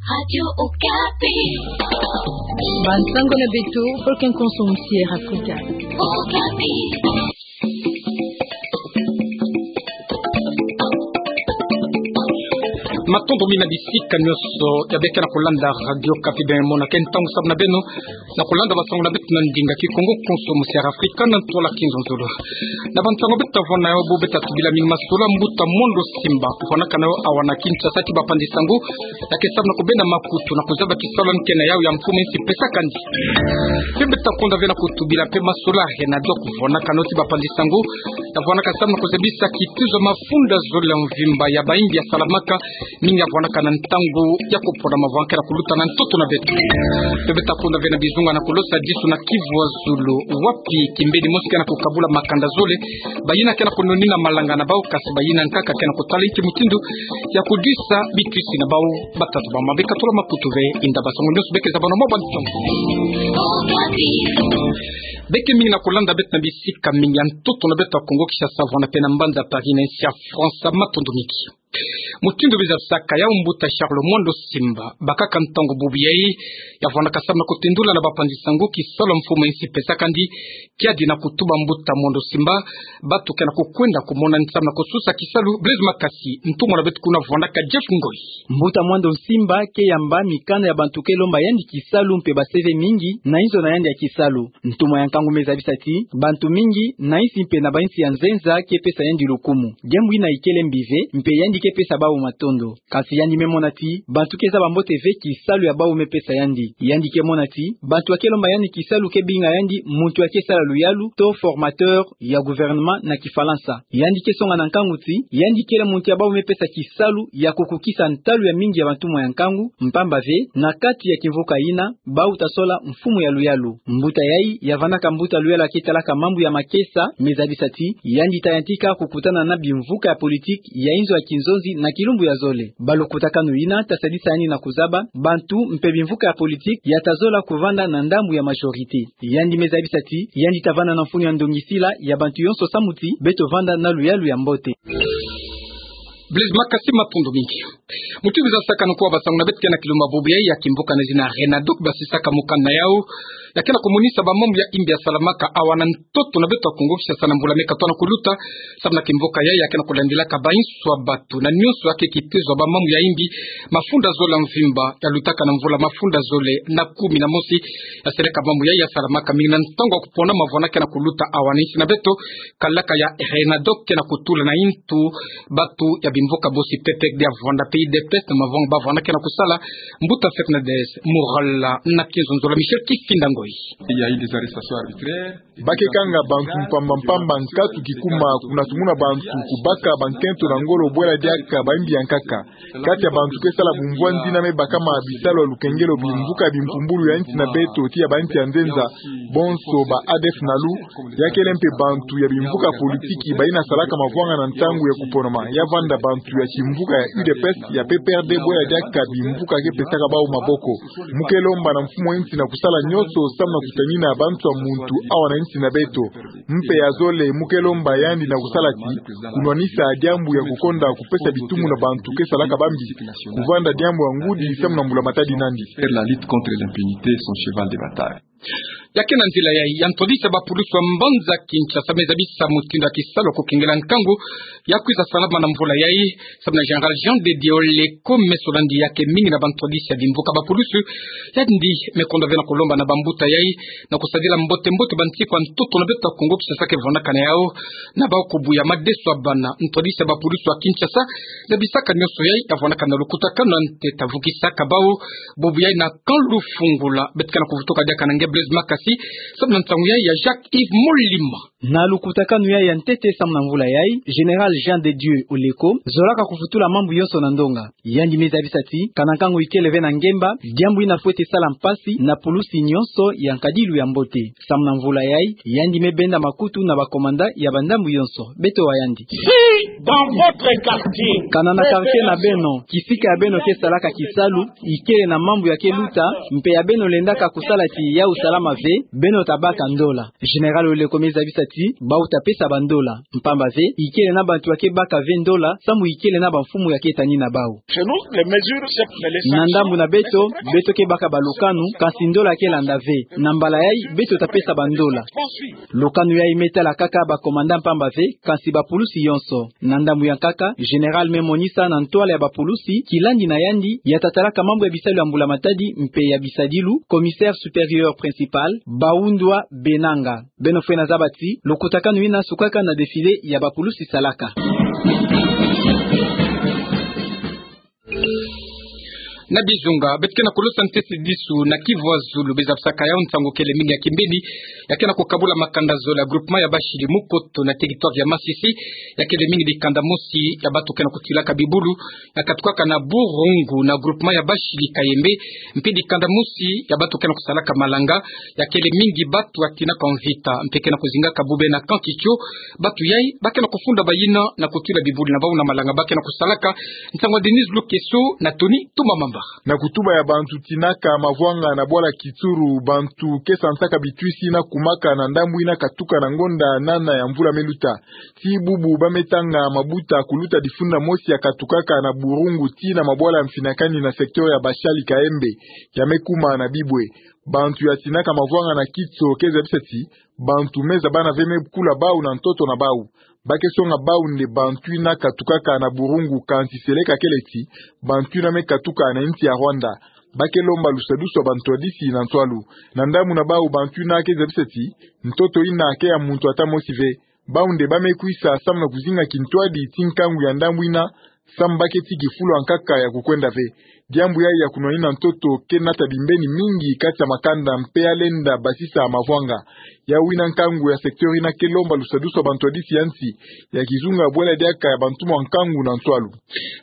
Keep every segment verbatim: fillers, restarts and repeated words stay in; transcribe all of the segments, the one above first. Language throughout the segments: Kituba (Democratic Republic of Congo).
Radio Okapi. Bansango na beto, Volcan Konso musi Air Africa. Okapi. Matondo mingi na bisika nyonso ya beka na kulanda Radio Okapi, beno mona ke ntangu samu na beno na kulanda bansango na beto na ndinga Kikongo, Konso musi Air Africa, na ntwala Kinzonzolo. Na bansango beto tavwanda na yo, bo beto tubila mingi masolo ya mbuta Mwando Simba, kuvwandaka na yo awa na Kinshasa, ti bapanzi sango ya ke samu na kubenda makutu na kuzaba kisalu ya nkena yau ya mfumu insi pesaka ndi. Mpe beto takonda ve na kutubila mpe masolo ya Renadoc, kuvwandaka na yo ti bapanzi sango, tavwandaka samu na kuzabisa kituzo ya mafunda zole ya mvimba ya bayimbi ya salamaka, mingi ya vwandaka na ntangu ya kupona mavwangke na kuluta na ntoto na beto. Mpe beto takonda ve na bizunga na kulosa disu na Kivu ya Zulu, wapi kimbeni mosi ke na kukabula makanda zole, bayina ke na kununina malanga na bau, kasi bayina nkaka ke na kutala inki mutindu ya kudwisa bitwisi na bau. Batata ba mama, beka tula makutu ve, inda bansango nyonso beka zabana mwa bansango. Beka mingi na kulanda beto na bisika mingi ya ntoto na beto ya Kongo Kinshasa, vwanda mpe na mbanza Paris na insi ya France. Matondo mingi. Mutindu biza saka ya mbuta Charles Mwando Simba, bakaka ntangu bubu yai, ya vwandaka samu na kutendula na bapanzi sango kisalu ya mfumu insi pesaka ndi, kiadi na kutuba mbuta Mwando Simba, bantu ke na kukwenda kumona nsamu na kususa kisalu. Blaise Makasi, ntumwa na beto kuna vwandaka, Jeff Ngoi. Mbuta Mwando Simba ke yamba mikanda ya bantu ke lomba yandi kisalu mpe ba C V mingi na inzo na yandi ya kisalu. Ntumwa ya nkangu me zabisa ti bantu mingi na insi mpe na bainsi ya nzenza ke pesa yandi lukumu. Diambu ina ikele mbi ve, mpe yandi ke pesa bau matondo. Kasi yandi me mona ti bantu ke zaba mbote ve kisalu ya bau me pesa yandi. Yandi ke mona ti bantu ya ke lomba yandi kisalu ke binga yandi muntu ya ke sala luyalu, to formateur ya gouvernement na Kifalansa. Yandi ke songa na nkangu ti yandi kele muntu ya bau me pesa kisalu ya kukukisa ntalu ya mingi ya bantumwa ya nkangu, mpamba ve na kati ya kimvuka ina, bau tasola mfumu ya luyalu. Mbuta yai ya vandaka mbuta luyalu ya ke talaka mambu ya makesa, me zabisa ti yandi tayantika kukutana na bimvuka ya politique ya inzo ya kinzonzi na kilumbu ya zole. Balukutakanu ina tasadisa yandi na kuzaba bantu mpe bimvuka ya politique ya tazola kuvanda na ndambu ya majorité. Yandi me zabisa ti yandi tavanda na mfunu ya ndongisila ya bantu yonso samu ti beto vanda na luyalu ya mbote. Blaise Makasi, matondo mingi. Mutindu biza saka, nkuwa bansango na beto ke na kilumbu bubu yai ya kimvuka na zina Renadoc, basisaka mukanda yau ya ke na kumonisa bamambu ya imbi ya salamaka awa na ntoto na beto ya Kongo Kinshasa na mbula me katoa na kuluta, samu na kimvuka yai ya ke na kulandilaka bainso ya bantu na nyonso ya ke kitezo ya bamambu ya imbi, mafunda zole ya mvimba ya lutaka na mvula mafunda zole na kumi na mosi, ya seleka mambu yai ya salamaka mingi na ntangu ya kupona mavwangana ke na kuluta awa na insi na beto. Kalaka ya Renadoc ke na kutula na intu bantu ya bimvuka bosi, P P R D ya vwanda, P U D P S na mavwanga ba vwanda ke na kusala. Mbuta Fernandes Murala na Kinzonzolo, Michel Kifinda Ngoi. Il y a eu des arrestations arbitraires. Ba ke kanga bantu mpamba mpamba, nkatu kikuma, kuna tumuna bantu kubaka bankento na ngolo bwela diaka baimbi ya nkaka. Kati ya bantu ke sala bumvwanzina me bakama bisalu ya lukengelo bimvuka bimpumbulu ya insi na beto ti ya bainsi ya nzenza, bonso ba A D F nalu, ya kele mpe bantu ya bimvuka politiki bayina salaka mavwangana ntangu ya kuponama. Ya vanda bantu ya kimvuka ya U D P S, ya P P R D, bwela diaka bimvuka ke pesaka bau maboko. Mu ke lomba na mfumu ya insi na kusala nyonso samu na kutanina bantu ya muntu awa na insi na beto. Mpe ya zole, mu ke lomba yandi na kusala ti kunwanisa diambu ya kukonda kupesa bitumu na bantu ke salaka bambi. Kuvanda diambu ya ngudi samu na mbula matadi nandi. Faire la lutte contre l'impunité, son cheval de bataille. Ya ke na nzila yai, ya ntwadisi ya bapulusu ya mbanza Kinshasa me zabisa mutindu ya kisalu ya kukengela nkangu ya kwiza salama na mvula yai, samu na Général Jean de Dieu Oleko, meso na yandi ya ke mingi na bantwadisi ya bimvuka bapulusu. Yandi me konda ve na kulomba na bambuta yai na kusadila mbote mbote bansiku ya ntoto na beto ya Kongo Kinshasa ke vwandaka na yau, na bau kubuya madeso ya bana. Ntwadisi ya bapulusu ya Kinshasa zabisaka nyonso yai, ya vwandaka na lukutakanu ya ntete ya vukisaka bau bubu yai na Camp Lufungula. Beto ke na kuvutuka diaka na nge Blaise Makasi samu na nsangu yai ya Jacques Yves Molima. Na lukutakanu yai ya ntete samu na mvula yai, Général Jean de Dieu Oleko zolaka kuvutula mambu yonso na ndonga. Yandi me zabisa ti kana nkangu ikele ve na ngemba, diambu yina fwete sala mpasi na pulusi nyonso ya nkadilu ya mbote. Samu na mvula yai, yandi me benda makutu na bakomanda ya bandambu yonso. Beto wa yandi. Si dans votre quartier, kana na quartier na beno, kisika ya beno ke salaka kisalu ikele na mambu ya ke luta, mpe ya beno lendaka kusala ti yau salama ve, beno tabaka ndola. Général Oleko me zabisa ti bau ta pesa bandola. Mpamba ve, ikele na bantu ya ke baka ve ndola, samu ikele na bamfumu ya ke tani na bau. Na ndambu na beto, beto ke baka balukanu, kasi ndola ke landa ve. Na mbala yai, beto ta pesa bandola. Lukanu yai me tala kaka ba commandant mpamba ve, kasi bapulusi yonso. Na ndambu ya nkaka, général me monisa na ntwala ya bapulusi, kilandi na yandi, ya ta talaka mambu ya bisalu ya mbula matadi, mpe ya bisadilu, commissaire supérieur principal, Baundwa Benanga. Beno fwena zaba ti, lukutakanu ina sukaka na défilé ya bapulusi salaka. Na bizunga, beto ke na kulusa ntesi disu na Kivu ya Zulu, bezabisaka yau nsangu kele mingi ya kimbeni, ya ke na kukabula makanda zole ya groupement ya Bashili Mukoto na territoire ya Masisi, ya kele mingi dikanda mosi ya batu ke na kutilaka bibulu, ya katukaka na Burungu na groupement ya Bashili Kayembe, mpe dikanda mosi ya batu ke na kusalaka malanga, ya kele mingi batu ya tinaka mvita, mpe ke na kuzingaka bube na Camp Kitio, batu yai, ba ke na kufunda bayina na kutula bibulu na bau na malanga ba ke na kusalaka. Nsangu ya Denise Lukeso na Tony Tumamamba. Na kutuba ya bantu tinaka mavwanga na bwala Kitsuru, bantu ke santaka bitwisi na kumaka na ndambu ina katuka na ngonda nana ya mvula me luta. Ti bubu ba me tanga mabuta kuluta difunda mosi ya katukaka na Burungu tii na mabwala ya mfinakani na secteur ya Bashali Kayembe, ya me kuma na bibwe. Bantu ya tinaka mavwanga na Kitso ke zabisa ti, bantu me zabana ve me kula bau na ntoto na bau. Ba ke songa bau nde bantu ina katukaka na Burungu, kansi seleka kele ti, bantu ina me katuka na insi ya Rwanda. Ba ke lomba lusadusu ya bantwadisi na ntwalu. Na ndambu na bau bantu ina ke zabisa ti, ntoto ina ke ya muntu ata mosi ve. Bau nde ba me kwisa samu na kuzinga kintwadi ti nkangu ya ndambu ina, samu ba ke ti kifulu ya nkaka ya kukwenda ve. Diambu yai ya kunwanina ntoto ke nata bimbeni mingi kati ya makanda mpe ya lenda basisa mavwanga. Yau ina nkangu ya secteur ina ke lomba lusadusu ya bantwadisi ya nsi, ya kizunga bwela diaka ya bantu mwa nkangu na ntwalu.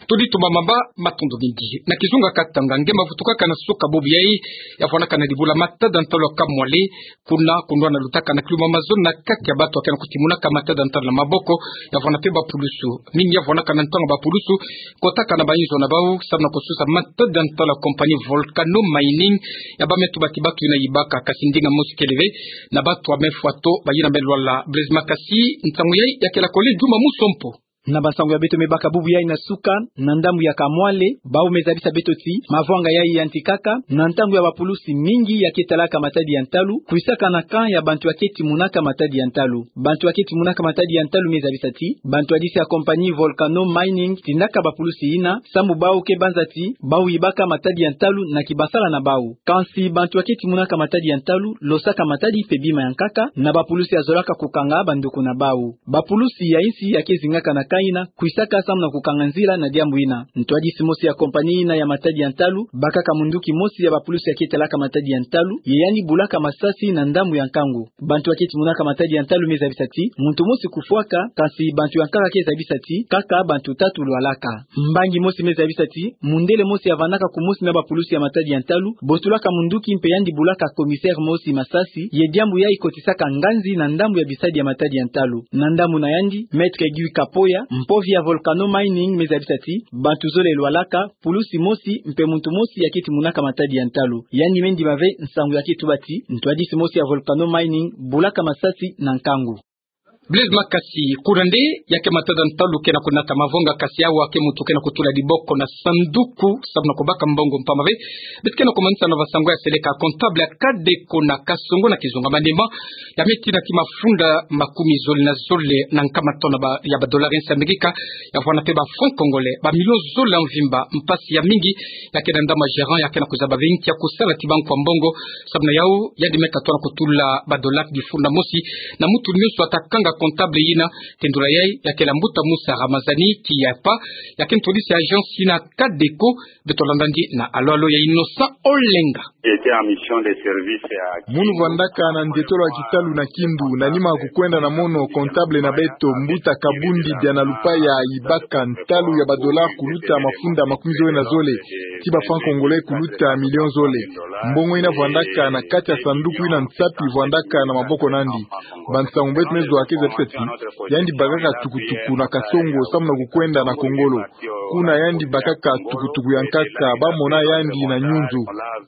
Tony Tumamamba, matondo mingi. Na kizunga Katanga, nge mavutukaka na suka bubu yai, ya vwanaka na dibula matada ntalu ya Kamwale, kuna, kunwana lutaka na kiluma mazono na kati ya batu ya ke na kutimunaka matada ntalu na maboko, ya vwana mpe bapulusu. Mingi ya vwanaka na ntangu bapulusu kotaka na bayinzo na bau, samu na kususa matada ntalu ya compagnie Volcano Mining, ya ba me tuba ti batu ina yibaka, kasi ndinga mosi kele ve, na batu ya me fwa to, bayina me lwala. Blaise Makasi, nsangu yai ya kela kole Juma Musompo. Na bansangu ya beto me baka bubu yai na suka, na ndambu ya Kamwale, bau me zabisa beto ti, mavwanga yai yantikaka, na ntangu ya bapulusi mingi ya ke talaka matadi ya ntalu, kwisaka na camp ya bantu ya ke timunaka matadi ya ntalu. Bantu ya ke timunaka matadi ya ntalu me zabisa ti, bantwadisi ya compagnie Volcano Mining tindaka bapulusi ina, samu bau ke banza ti, bau yibaka matadi ya ntalu na kibasala na bau. Kansi bantu ya ke timunaka matadi ya ntalu, losaka matadi mpe bima ya nkaka, na bapulusi ya zolaka kukanga banduku na bau. Bapulusi ya insi ya ke zingaka na camp ina, kwisaka samu na kukanga nzila na diambu ina. Ntwadisi mosi ya compagnie ina ya matadi ya ntalu, bakaka munduki mosi ya bapulusi ya ke talaka matadi ya ntalu, ye yandi bulaka masasi na ndambu ya nkangu. Bantu ya ke timunaka matadi ya ntalu me zabisa ti, muntu mosi kufwaka, kansi bantu ya nkaka ke zabisa ti, kaka bantu tatu lwalaka. Mbangi mosi me zabisa ti, mundele mosi ya vandaka kumosi na bapulusi ya matadi ya ntalu, botulaka munduki mpe yandi bulaka commissaire mosi masasi, ye diambu yai kotisaka nganzi na ndambu ya bisadi ya matadi ya ntalu. Na ndambu na yandi, Maître Guy Kapoya, mpovi ya Volcano Mining me zabisa ti, bantu zole lwalaka, pulusi mosi, mpe muntu mosi ya ke timunaka matadi ya ntalu. Yandi me ndima ve nsangu ya ke tuba ti, ntwadisi mosi ya Volcano Mining, bulaka masasi na nkangu. Blaise Makasi, kuna nde, ya ke matada ntalu ke na kunata mavwanga, kasi awa ke muntu ke na kutula diboko na sanduku, samu na kubaka mbongo mpamba ve. Beto ke na kumanisa na bansangu ya seleka, comptable ya Kadeco na Kasongo na kizunga Maniema, ya me tina ti mafunda makumi zole na zole na nkama tona ba, ya ba dollars ya Amerika, ya vwana mpe ba francs congolais, ba millions zole ya mvimba, mpasi ya mingi, ya ke na ndambu ya gérant, ya ke na kuzaba ve nki ya kusala ti banku ya mbongo, samu na yau, yandi me katuka na kutula ba dollars difunda mosi, na muntu nyonso ata kanga comptable yina, tendula yai, ya kele mbuta Musa Ramazani, ki ya pa, ya ke ntwadisi ya agence yina Kadeco, beto landa ndi na alo alo ya Innocent Olenga. J'étais en mission de service à Munu vandaka na ndetolo ya kitalu na Kindu, na nima kukwenda na mono comptable na beto, mbuta Kabundi Diana Lupaya, yibaka ntalu ya ba dollars kuluta mafunda makumi zole na zole, ti ba francs congolais kuluta millions zole. Mbongo yina vandaka na kati ya sanduku yina nsapi vandaka na maboko na yandi. Bansangu beto me zwa ke Yandi bakaka tukutuku na Kasongo samu na kukwenda na Kongolo. Kuna yandi bakaka tukutuku ya nkaka, bamona yandi na Nyunzu.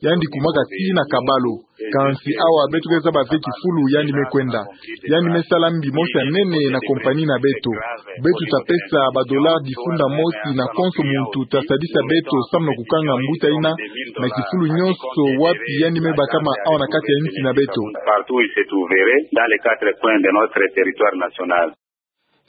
Yandi kumaka tii na Kabalo. Kansi awa beto ke zaba ve kifulu yandi me kwenda. Yandi me sala mbi mosi ya nene na compagnie na beto. Beto ta pesa ba dollars difunda mosi na konso muntu ta sadisa beto samu na kukanga mbuta yina na kifulu nyonso wapi yandi me bakama awa na kati ya nsi na beto. Partout où il se trouverait, dans les quatre coins de notre territoire national.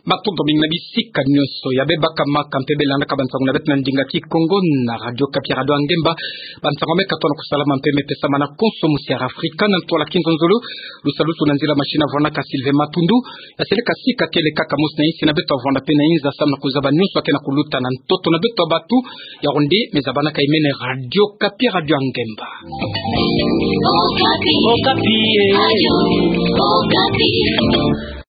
Matondo mingi na bisika nyonso ya be bakamanaka mpe be landaka bansangu na beto na ndinga Kikongo na Radio Okapi, Radio Angemba. Bansangu me katuka na kusalama mpe me pesama na konso musi ya Afrika. Na ntwala kinzonzolo, lusalusu na nzila machine vwanaka Sylvain Matundu. Ya seleka sika kele kaka mosi na insi na beto, avwanda mpe na inza samu na kuzaba nyonso ya ke na kuluta na ntoto na beto ya bato. Yaoundé, me zabanaka imene Radio Okapi, Radio Angemba. Okapi. Okapi, eh. Radio Okapi.